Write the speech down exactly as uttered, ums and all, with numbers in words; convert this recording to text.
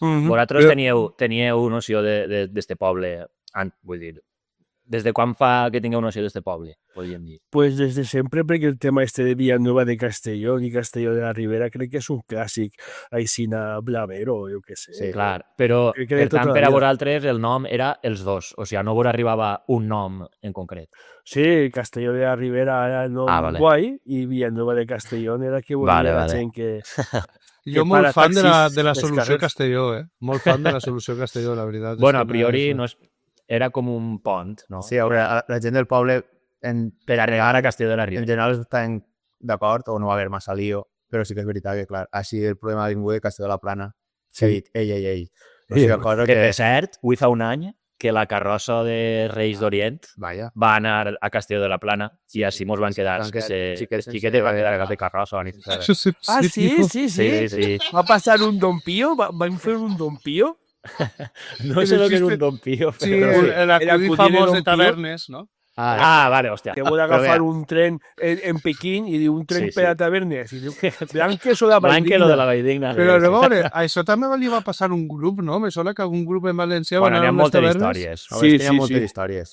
Mm-hmm. Vosaltres Però... teníeu, teníeu noció d'este poble, vull dir, des de quan fa que tingueu noció d'este poble, podríem dir? Pues desde siempre, porque el tema este de Villanueva de Castellón y Castelló de la Ribera crec que és un clàssic, Aixina Blavero, jo què sé. Sí, clar, però per tant per a vosaltres el nom era els dos, o sigui, no vos arribava un nom en concret. Sí, Castelló de la Ribera era el nom ah, vale. guai i Villanueva de Castellón era que volia vale, la vale. gent que... Jo molt fan de la, de la solució Castelló, eh? Molt fan de la solució Castelló, la veritat. Bueno, a priori no és... era com un pont, no? Sí, la, la gent del poble en, per arribar a Castelló de la Ribera en general estan d'acord o no va haver massa lío, però sí que és veritat que, clar, així el problema ha vingut de Castelló de la Plana, sí. He dit, ei, ei, ei. O sigui, cosa que, que de cert, avui fa un any que la carrossa de Reis d'Orient Vaya. va anar a Castelló de la Plana i així mos van quedar sí, que se... xiquetes, xiquetes van quedar a cap de carrossa. Ni ah, sí, sí, sí, sí. sí, sí. Va passar un Don Pío? Van fer un Don Pío? No sé el que és un Don Pío, però... Sí, el acudit famós de tavernes, no? Ah, ah, vale, hòstia. Que vol agafar un tren en, en Pequín i diu un tren sí, per a tavernes. I diu, Blanques o de la Valldigna. Blanques o de la Valldigna. Però a veure, això també li va passar un grup, no? Me sona que algun grup en Valencià bueno, va anar a unes moltes tavernes. Històries. Sí, sí, sí. moltes històries.